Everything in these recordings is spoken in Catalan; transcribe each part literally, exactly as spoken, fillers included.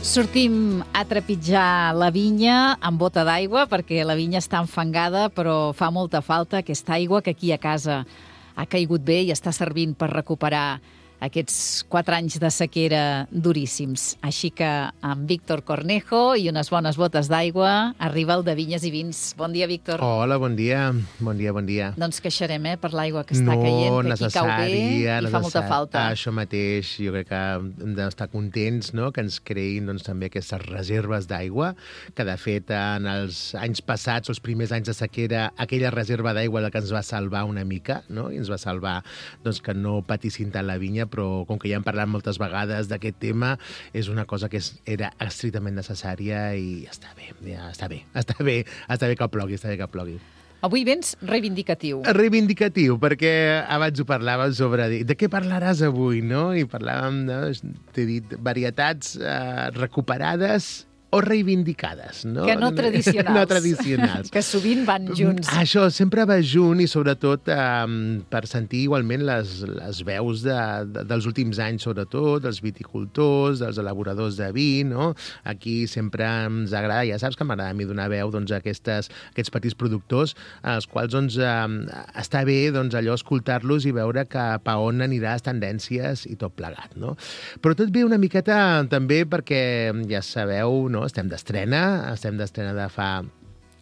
Sortim a trepitjar la vinya amb bota d'aigua perquè la vinya està enfangada, però fa molta falta aquesta aigua que aquí a casa ha caigut bé i està servint per recuperar aquests quatre anys de sequera duríssims. Així que amb Víctor Cornejo i unes bones botes d'aigua arriba el de Vinyes i Vins. Bon dia, Víctor. Hola, bon dia. Bon dia, bon dia. No ens queixarem, eh, per l'aigua que està caient, que aquí cau bé i fa molta falta. Això mateix, jo crec que hem d'estar contents, no?, que ens creïn doncs, també aquestes reserves d'aigua, que de fet en els anys passats, els primers anys de sequera, aquella reserva d'aigua la que ens va salvar una mica, no?, i ens va salvar doncs, que no patissin tant la vinya, però com que ja hem parlat moltes vegades d'aquest tema, és una cosa que és, era estrictament necessària i està bé, ja està bé, està bé, està bé que plogui, està bé que plogui. Avui vens reivindicatiu. Reivindicatiu, perquè abans ho parlàvem sobre de què parlaràs avui, no? I parlàvem, no? T'he dit, varietats eh, recuperades o reivindicades, no? Que no tradicionals. No tradicionals. Que sovint van junts. Això sempre va junt i sobretot eh, per sentir igualment les, les veus de, de, dels últims anys, sobretot, dels viticultors, dels elaboradors de vi, no? Aquí sempre ens agrada, ja saps que m'agrada a mi donar veu doncs, a aquestes, aquests petits productors, als quals doncs, eh, està bé doncs, allò escoltar-los i veure cap a on anirà les tendències i tot plegat, no? Però tot ve una miqueta també perquè, ja sabeu, no? Estem d'estrena, estem d'estrena de fa...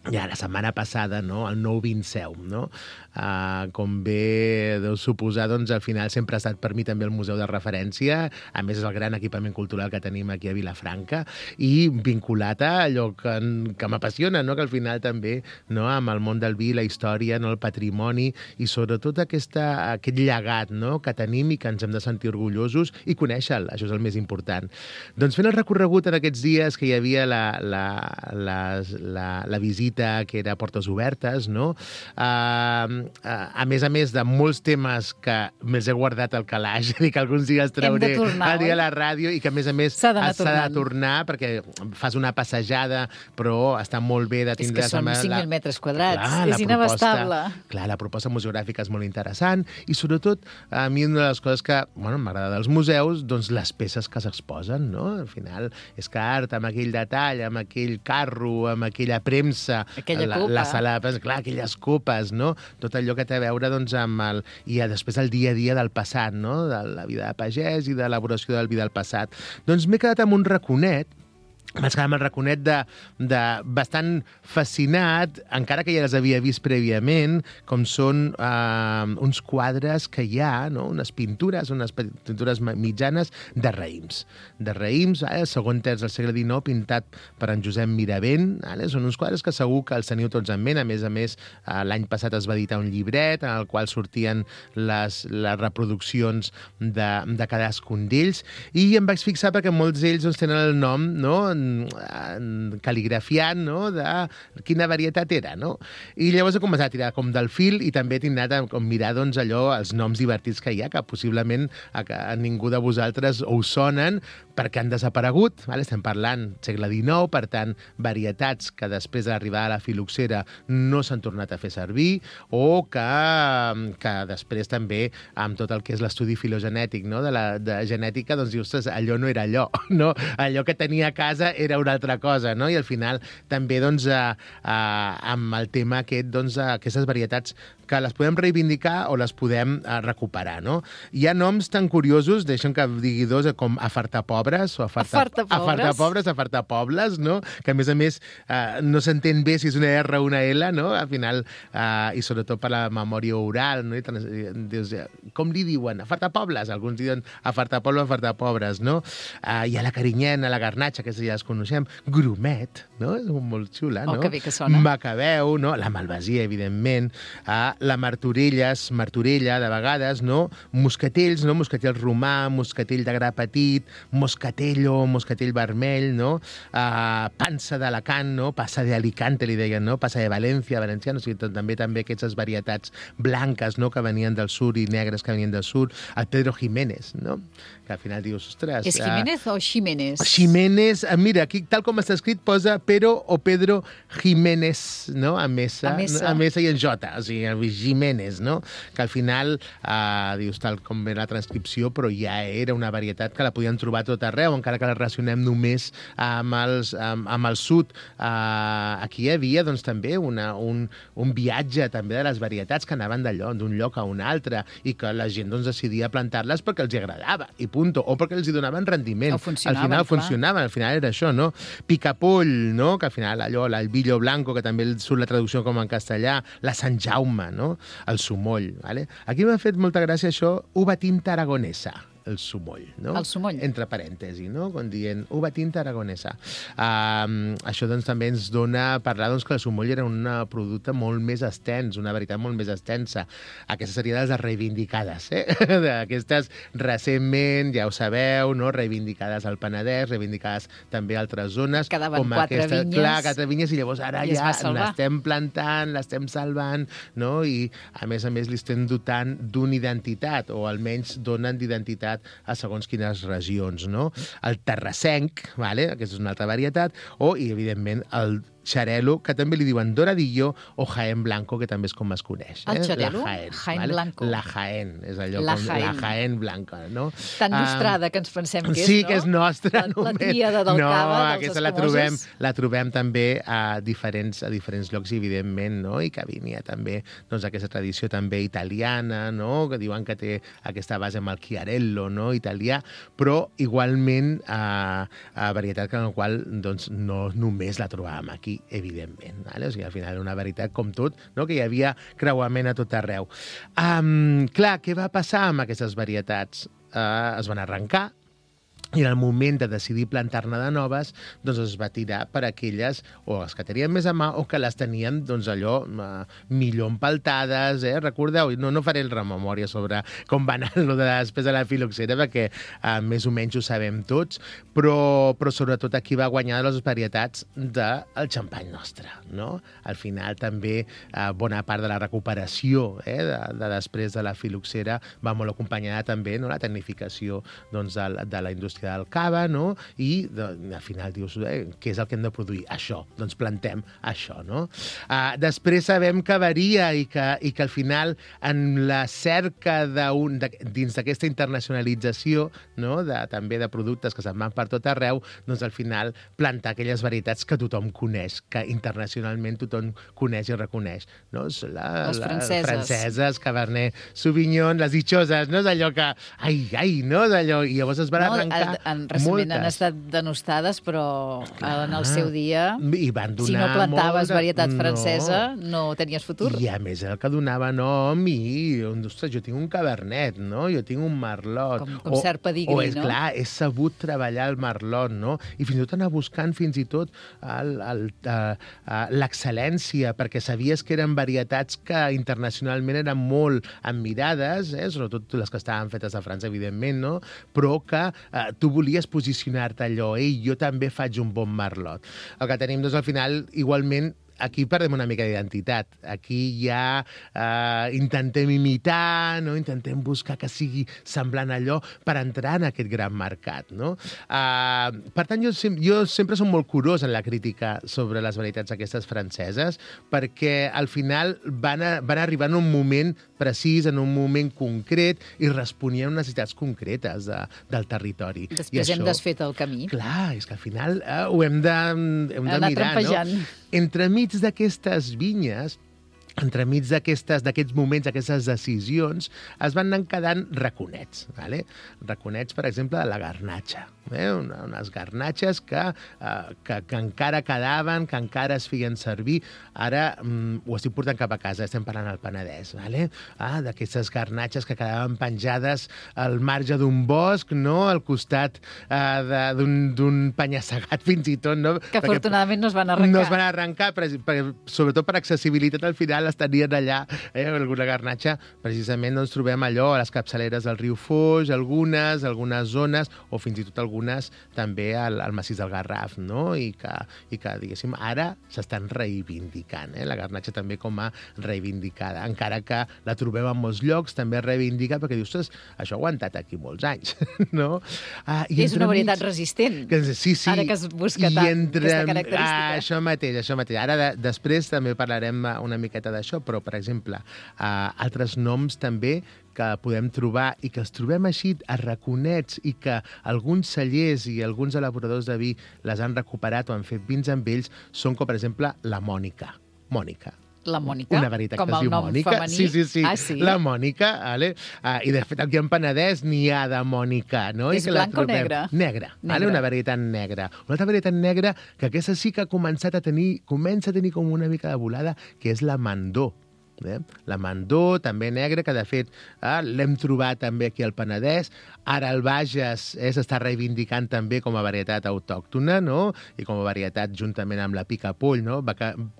Ja, la setmana passada, no?, el nou Vinseu, no? Uh, com bé deu suposar, doncs, al final sempre ha estat per mi també el museu de referència, a més és el gran equipament cultural que tenim aquí a Vilafranca, i vinculat a allò que, que m'apassiona, no?, que al final també, no?, amb el món del vi, la història, no?, el patrimoni, i sobretot aquesta, aquest llegat, no?, que tenim i que ens hem de sentir orgullosos i conèixer-lo, això és el més important. Doncs fent el recorregut en aquests dies que hi havia la, la, la, la, la visita que era a portes obertes, no? Uh, a més a més de molts temes que me'ls he guardat al calaix, és dir, que alguns dies trauré tornar, al dia a la ràdio i que a més a més s'ha de tornar perquè fas una passejada, però està molt bé de tindre... És que són cinc mil metres quadrats, clar, és inabastable. Clar, la proposta museogràfica és molt interessant i sobretot a mi una de les coses que bueno, m'agrada dels museus, doncs les peces que s'exposen, no? Al final és que art amb aquell detall, amb aquell carro, amb aquella premsa, aquella la, copa. La sala, clar, aquelles copes, no? Tot allò que té a veure doncs, amb el... I després el dia a dia del passat, no? De la vida de pagès i de l'elaboració del vi del passat. Doncs m'he quedat amb un raconet, vaig quedar amb el raconet de, de bastant fascinat, encara que ja les havia vist prèviament, com són eh, uns quadres que hi ha, no? Unes pintures, unes pintures mitjanes de raïms. De raïms, eh? Segon terç del segle dinou, pintat per en Josep Miravent. Eh? Són uns quadres que segur que els teniu tots en ment. A més a més, eh, l'any passat es va editar un llibret en el qual sortien les, les reproduccions de, de cadascun d'ells. I em vaig fixar perquè molts d'ells doncs, tenen el nom, no?, cal·ligrafiant, no?, de quina varietat era, no? I llavors he començat a tirar com del fil i també he tingut a com mirar, doncs, allò, els noms divertits que hi ha, que possiblement a, a ningú de vosaltres us sonen perquè han desaparegut, vale? Estem parlant segle dinou, per tant, varietats que després de l'arribada a la filoxera no s'han tornat a fer servir o que, que després també, amb tot el que és l'estudi filogenètic, no?, de la de genètica, doncs dius, allò no era allò, no? Allò que tenia a casa era una altra cosa, no? I al final també, doncs, a, a, amb el tema aquest, doncs, a aquestes varietats que les podem reivindicar o les podem a, recuperar, no? Hi ha noms tan curiosos, deixa'm que digui dos, com afartapobres o afarta, afartapobres, afartapobles, no? Que a més a més eh, no s'entén bé si és una R o una L, no? Al final, eh, i sobretot per la memòria oral, no? I dius, com li diuen? Afartapobles? Alguns diuen afartapobles, afartapobres, no? Eh, hi ha la carinyena, la garnatxa, que ja les coneixem, grumet, no? És molt xula, no? Oh, que bé que sona. Macabeu, no? La malvasia, evidentment, eh, la martorelles, martorella, de vegades, no? Moscatells, no? Moscatell romà, moscatell de gra petit, moscatello, moscatell vermell, no? Uh, pansa d'Alacant, no? Passa d'Alicante, li deien, no? Passa de València, valencià, no? O sigui, també també aquestes varietats blanques, no? Que venien del sud i negres que venien del sud. El Pedro Jiménez, no? Que al final dius, ostres... És Jiménez uh, o Ximénez? Jiménez, mira, aquí tal com està escrit posa Pero o Pedro Jiménez, no? A Mesa, a Mesa. A Mesa i en Jota, o sigui, Jiménez, no? Que al final, eh, dius, tal com ve la transcripció, però ja era una varietat que la podien trobar tot arreu, encara que la relacionem només amb, els, amb, amb el sud. Eh, aquí hi havia, doncs, també una, un, un viatge també de les varietats que anaven d'allò, d'un lloc a un altre, i que la gent doncs, decidia plantar-les perquè els agradava, i punto, o perquè els hi donaven rendiment. O funcionaven, al final clar. funcionaven, al final era això, no? Picapoll, no? Que al final allò, l'albillo blanco, que també surt la traducció com en castellà, la Sant Jaume, no? El sumoll, ¿vale? Aquí m'ha fet molta gràcia això, uva tinta aragonesa, el sumoll, no? El sumoll. Entre parèntesi, no? Com dient, uva tinta aragonesa. Um, això doncs també ens dona a parlar doncs, que el sumoll era un producte molt més extens, una veritat molt més extensa. Aquesta seria de les reivindicades, eh? Aquestes recentment, ja ho sabeu, no? Reivindicades al Penedès, reivindicades també a altres zones. Quedaven com quatre aquesta, vinyes. Clar, quatre vinyes, i llavors ara I ja salvar. l'estem plantant, l'estem salvant, no? I a més a més li estem dotant d'una identitat, o almenys donen d'identitat a segons quines regions, no? El terrassenc, vale? Aquesta és una altra varietat, o, i evidentment, el xarel·lo, que també li diuen doradillo, o Jaén Blanco, que també és com es coneix. El eh? xarel·lo? La Jaén, Jaén vale? Blanco. La Jaén, és allò La com Jaén. la Jaén Blanca, no? Tan Ah, nostrada que ens pensem que és, sí, no? que és nostra. La, la només. tríada del no, cava, dels aquesta la escamosos. trobem, la trobem també a diferents, a diferents llocs, evidentment, no? I que venia també doncs, aquesta tradició també italiana, no? Que diuen que té aquesta base amb el chiarello, no? Italià, però igualment a, a varietat que en la qual doncs, no només la trobàvem aquí, evidentment. Vale? O sigui, al final era una veritat com tot, no? Que hi havia creuament a tot arreu. Um, clar, què va passar amb aquestes varietats? Uh, es van arrencar, i en el moment de decidir plantar-ne de noves, doncs es va tirar per aquelles, o les que tenien més a mà, o que les tenien, doncs allò, uh, millor empaltades, eh? Recordeu? No, no faré el rememòria sobre com va anar lo de després de la filoxera, perquè uh, més o menys ho sabem tots, però, però sobretot aquí va guanyar les varietats del xampany nostre, no? Al final també uh, bona part de la recuperació eh, de, de després de la filoxera va molt acompanyada també, no? La tecnificació doncs, de, de la indústria del cava, no? I de, al final dius, eh, què és el que hem de produir? Això, doncs plantem això, no? Uh, després sabem que varia i que, i que al final en la cerca d'un, de, dins d'aquesta internacionalització, no? De, també de productes que se'n van per tot arreu, doncs al final plantar aquelles varietats que tothom coneix, que internacionalment tothom coneix i reconeix, no? La, Les franceses. La, franceses, Cabernet Sauvignon, les dichoses, no? És allò que, ai, ai, no? És allò, i llavors es van No, arrencar en, en, recentment moltes. han estat denostades, però clar, en el seu dia, I van donar si no plantaves molta... varietat no. francesa, no tenies futur. I a més el que donava nom i, ostres, jo tinc un cabernet, no? Jo tinc un merlot. Com, com cert pedigrí, o és, no? Clar, he sabut treballar el merlot, no? I fins i tot anar buscant fins i tot el, el, uh, uh, l'excel·lència, perquè sabies que eren varietats que internacionalment eren molt admirades, eh? Sobretot les que estaven fetes a França, evidentment, no? Però que Uh, tu volies posicionar-te allò, ei, jo també faig un bon merlot. El que tenim, doncs, al final, igualment, aquí perdem una mica d'identitat. Aquí ja eh, intentem imitar, no? Intentem buscar que sigui semblant a allò per entrar en aquest gran mercat, no? Eh, per tant, jo, jo sempre som molt curós en la crítica sobre les varietats aquestes franceses, perquè al final van, a, van arribar en un moment precís, en un moment concret, i responien a necessitats concretes de, del territori. Després I hem això, desfet el camí. clar, és que al final eh, ho hem de, hem de Anar mirar, trampejant. no? Entremig d'aquestes vinyes, entremig d'aquests moments, d'aquestes decisions, es van anar quedant raconets. Vale? Raconets, per exemple, de la garnatxa. Eh? Una, unes garnatxes que, eh, que, que encara quedaven, que encara es feien servir. Ara mm, ho estic portant cap a casa, estem parlant al Penedès. Vale? Ah, d'aquestes garnatxes que quedaven penjades al marge d'un bosc, no? Al costat eh, d'un penya-segat, fins i tot. No? Que Perquè afortunadament no es van arrencar. no es van arrencar, per, per, sobretot per accessibilitat al final les tenien allà, eh, alguna garnatxa. Precisament doncs, trobem allò a les capçaleres del riu Foix, algunes, algunes zones, o fins i tot algunes algunes també al, al massís del Garraf, no? I que, i que diguéssim, ara s'estan reivindicant, eh? La garnatxa també com a reivindicada, encara que la trobem en molts llocs, també reivindica, perquè dius, ostres, això ha aguantat aquí molts anys, no? Ah, i és una varietat mig... resistent, que, sí, sí, ara que es busca tant entre... aquesta característica. Ah, això mateix, això mateix. Ara, de, després també parlarem una miqueta d'això, però, per exemple, uh, altres noms també que podem trobar i que els trobem així a raconets i que alguns cellers i alguns elaboradors de vi les han recuperat o han fet vins amb ells, són com, per exemple, la Mònica. Mònica. La Mònica, una varietat com que es el diu nom Mònica. femení. Sí, sí, sí, ah, sí? la Mònica. Vale? Uh, I, de fet, aquí en Penedès n'hi ha de Mònica. No? És I que blanca o negra? Negra. Vale? Una varietat negra. Una altra varietat negra que aquesta sí que ha començat a tenir, comença a tenir com una mica de volada, que és la Mandó. Eh? La Mandó, també negra, que de fet eh, l'hem trobat també aquí al Penedès. Ara el Bages eh, s'està reivindicant també com a varietat autòctona, no? I com a varietat juntament amb la Picapoll, no?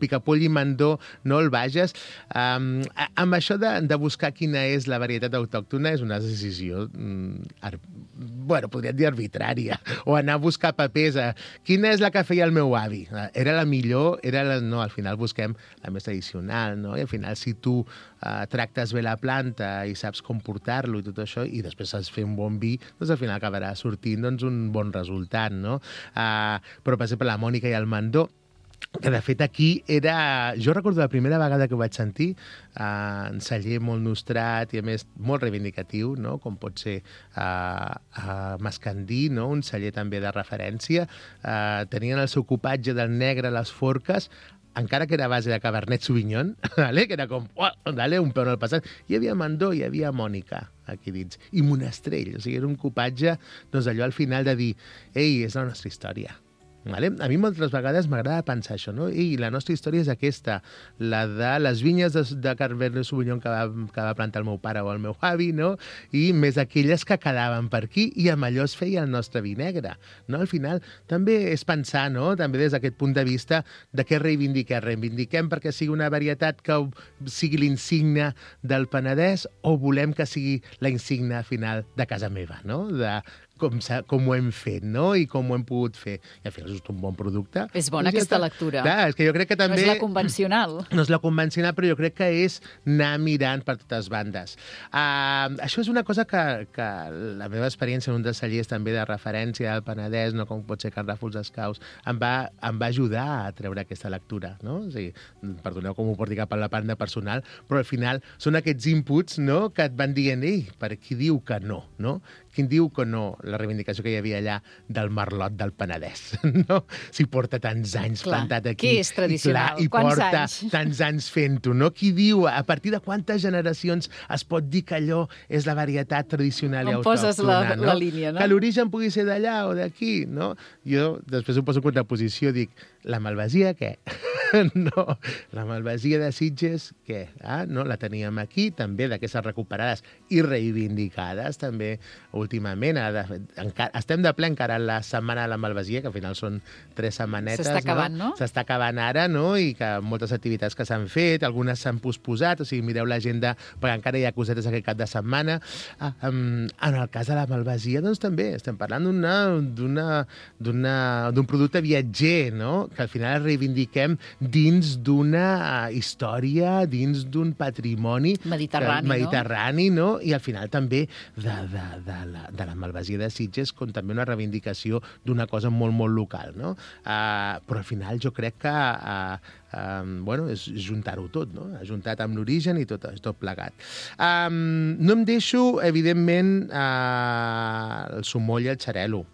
Picapoll i Mandó, no? El Bages. Um, amb això de, de buscar quina és la varietat autòctona és una decisió, mm, bueno, podríem dir arbitrària, o anar a buscar papers. A, quina és la que feia el meu avi? Era la millor? Era la... No, al final busquem la més tradicional, no? I al final, si si tu uh, tractes bé la planta i saps com portar-lo i tot això, i després saps fer un bon vi, doncs al final acabarà sortint doncs, un bon resultat, no? Uh, però, per exemple, la Mònica i el Mandó, que de fet aquí era... Jo recordo la primera vegada que ho vaig sentir, uh, en celler molt nostrat i a més molt reivindicatiu, no? Com pot ser uh, uh, Mascandí, no? Un celler també de referència. Uh, tenien el seu copatge del negre a les forques, encara que era a base de Cabernet Sauvignon, vale? Que era com, oh, dale, un peu en el passat. Hi havia Mandó, hi havia Mònica aquí dins, i Monastrell. O sigui, era un copatge, doncs allò al final de dir, ei, és la nostra història. Vale? A mi moltes vegades m'agrada pensar això, no? I la nostra història és aquesta, la de les vinyes de, de Cabernet Sauvignon que va, que va plantar el meu pare o el meu avi, no? I més aquelles que quedaven per aquí i amb allò es feia el nostre vi negre, no? Al final també és pensar, no? També des d'aquest punt de vista de què reivindiquem. Reivindiquem perquè sigui una varietat que sigui l'insigne del Penedès o volem que sigui la insígnia final de casa meva, no? De com, com ho hem fet, no? I com ho hem pogut fer. I al final és un bon producte. És bona aquesta lectura. Clar, és que jo crec que també... No és la convencional. No és la convencional, però jo crec que és anar mirant per totes bandes. Uh, això és una cosa que, que la meva experiència en un dels cellers també de referència al Penedès, no com pot ser Carràfols Escaus, em va, em va ajudar a treure aquesta lectura, no? O sigui, perdoneu com ho porti cap a la banda personal, però al final són aquests inputs, no?, que et van dient, ei, per qui diu que no, no? Qui diu que no, la reivindicació que hi havia allà del merlot del Penedès, no? Si porta tants anys clar, plantat aquí. Què és tradicional? I, clar, i Quants porta anys? tants anys fent-ho, no? Qui diu, a partir de quantes generacions es pot dir que allò és la varietat tradicional i autòctona, poses la, no? la línia, no? Que l'origen pugui ser d'allà o d'aquí, no? Jo després ho poso en contraposició, dic, la malvasia, què? No, la malvasia de Sitges, què? Ah, no, la teníem aquí, també d'aquestes recuperades i reivindicades, també últimament. Ara, encara, estem de ple encara la setmana de la malvasia, que al final són tres setmanetes. S'està acabant, no? S'està acabant ara, no? I que moltes activitats que s'han fet, algunes s'han posposat, o sigui, mireu l'agenda, perquè encara hi ha cosetes aquest cap de setmana. Ah, um, en el cas de la malvasia, doncs també estem parlant d'una, d'una, d'una, d'un producte viatger, no? Que al final reivindiquem dins d'una història, dins d'un patrimoni mediterrani, que, mediterrani, no? I al final també de, de, de, la, de la malvasia de Sitges com també una reivindicació d'una cosa molt, molt local, no? Uh, però al final jo crec que uh, uh, bueno, és juntar-ho tot, no? Ajuntat amb l'origen i tot, tot plegat. Um, no em deixo, evidentment, uh, el sumoll i el xarel·lo.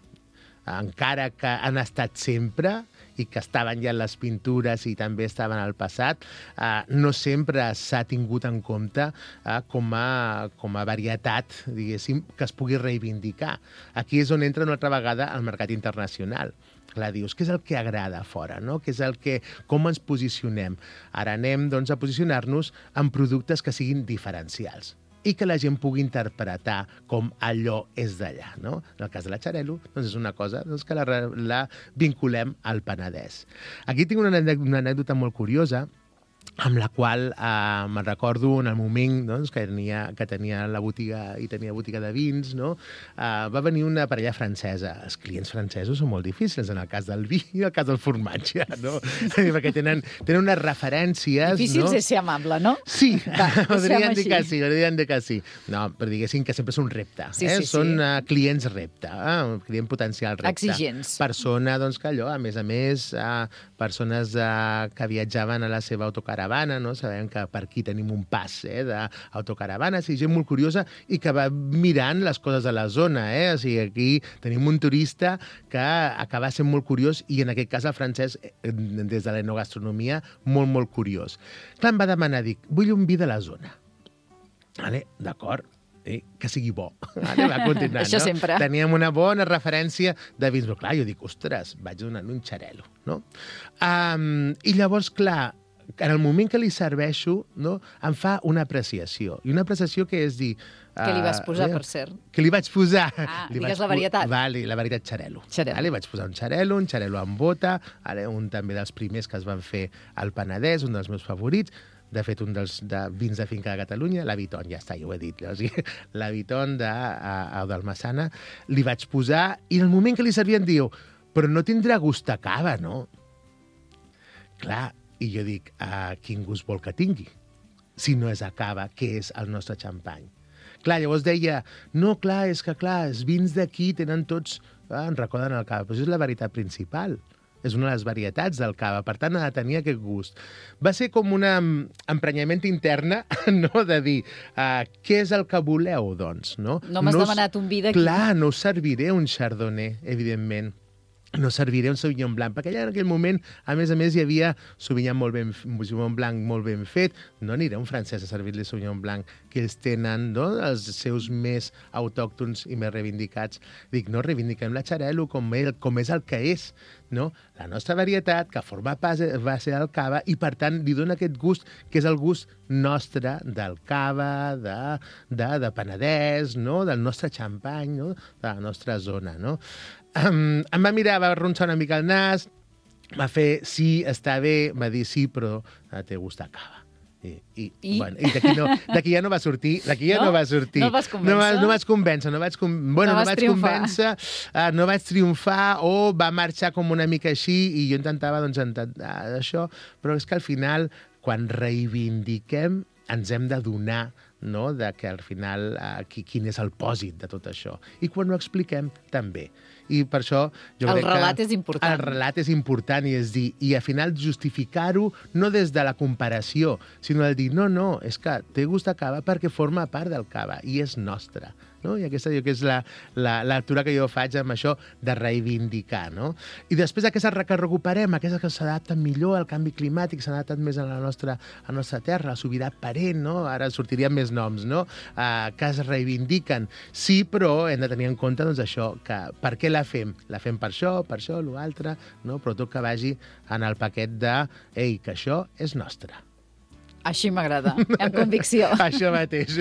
Encara que han estat sempre i que estaven ja en les pintures i també estaven al passat, eh, no sempre s'ha tingut en compte eh, com, a, com a varietat, diguéssim, que es pugui reivindicar. Aquí és on entra una altra vegada el mercat internacional. Clar, dius, què és el que agrada a fora, no? Què és el que, com ens posicionem? Ara anem doncs, a posicionar-nos en productes que siguin diferencials i que la gent pugui interpretar com allò és d'allà, no? En el cas de la xarel·lo, doncs és una cosa doncs, que la, la vinculem al Penedès. Aquí tinc una, una anècdota molt curiosa. amb la qual eh, me'n recordo en el moment doncs, que, tenia, que tenia la botiga i tenia botiga de vins, no? eh, va venir una parella francesa. Els clients francesos són molt difícils en el cas del vi i en el cas del formatge, no? perquè tenen, tenen unes referències... Difícils no? és ser amable, no? Sí, Va, podrien dir que sí, podrien dir que sí. No, però diguéssim que sempre és un repte. Sí, eh? sí, Són sí. Uh, clients repte, uh, client potencial repte. Exigents. Persona, doncs, que allò, a més a més, uh, persones uh, que viatjaven a la seva autocaravana, no? Sabem que per aquí tenim un pas eh, d'autocaravanes i gent molt curiosa i que va mirant les coses de la zona. Eh? O sigui, aquí tenim un turista que acaba sent molt curiós i en aquest cas el francès, des de l'enogastronomia, molt, molt curiós. Clar, em va demanar, dic, vull un vi de la zona. Vale, d'acord. Eh, que sigui bo. Vale, va continuar, Això no? sempre. Teníem una bona referència de vins, però clar, jo dic, ostres, vaig donar un xarel·lo, no? Um, I llavors, clar, en el moment que li serveixo, no, em fa una apreciació. I una apreciació que és dir... Què li vas posar, uh, per cert? Que li vaig posar... Ah, li digues vaig la varietat. Vale, la varietat xarel·lo. Xarel·lo. Vale, vaig posar un xarel·lo, un xarel·lo amb bota, ara un també dels primers que es van fer al Penedès, un dels meus favorits, de fet, un dels de vins de finca de Catalunya, la Viton, ja està, ja ho he dit. O sigui, la Viton de, a, a, del Massana, li vaig posar, i en el moment que li servien diu, però no tindrà gust a cava, no? Clar, i jo dic, a quin gust vol que tingui? Si no és a cava, què és el nostre xampany? Clar, llavors deia, no, clar, és que clar, els vins d'aquí tenen tots... Ah, en recorden el cava, però això és la veritat principal. És una de les varietats del cava, per tant, ha de tenir aquest gust. Va ser com un emprenyament interna, no?, de dir, uh, què és el que voleu, doncs, no? No m'has no demanat un vi d'aquí. Clar, no us serviré un chardonnay, evidentment. No serviré un Sauvignon Blanc, perquè allà en aquell moment, a més a més, hi havia Sauvignon, molt ben, Sauvignon Blanc molt ben fet. No aniré a un francès a servir-li Sauvignon Blanc, que ells tenen, no?, els seus més autòctons i més reivindicats. Dic, no, reivindiquem la xarel·lo com, el, com és el que és, no? La nostra varietat, que forma pas va ser el cava, i per tant li dona aquest gust, que és el gust nostre del cava, de, de, de Penedès, no?, del nostre xampany, no?, de la nostra zona, no? Um, em va mirar, va arronsar una mica el nas, va fer, sí, està bé, va dir sí, però té gust a cava. I, i, I? Bueno, i d'aquí no, ja no va sortir, d'aquí ja no? no va sortir. No vas convèncer? No, va, no vaig convèncer, no vaig, com... bueno, no no vaig triomfar. convèncer, uh, no vaig triomfar, o va marxar com una mica així, i jo intentava, doncs, intentar això, però és que al final, quan reivindiquem, ens hem de donar, no?, de que al final uh, qui, quin és el pòsit de tot això. I quan ho expliquem, també. I per això jo el crec relat que és important. El relat és important, i és dir, i al final justificar-ho no des de la comparació, sinó el dir, no, no, és que té gust a cava perquè forma part del cava i és nostre. No? I aquesta jo que és la, la, la lectura que jo faig amb això de reivindicar. No? I després aquestes que recuperem, aquestes que s'adapten millor al canvi climàtic, s'han adaptat més a la nostra, a la nostra terra, la sobirà parent, no? Ara sortirien més noms, no? Uh, que es reivindiquen. Sí, però hem de tenir en compte, doncs, això, que per què la fem? La fem per això, per això, l'altre, no? Però tot que vagi en el paquet de, ei, que això és nostre. Així m'agrada, amb convicció. Això mateix.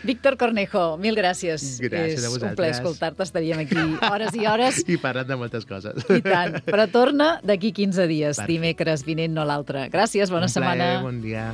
Víctor Cornejo, mil gràcies. Gràcies a vosaltres. És un plaer escoltar-te, estaríem aquí hores i hores. I parlant de moltes coses. I tant. Però torna d'aquí quinze dies, Perfecte. Dimecres vinent, no l'altre. Gràcies, bona un plaer, setmana. Bon dia.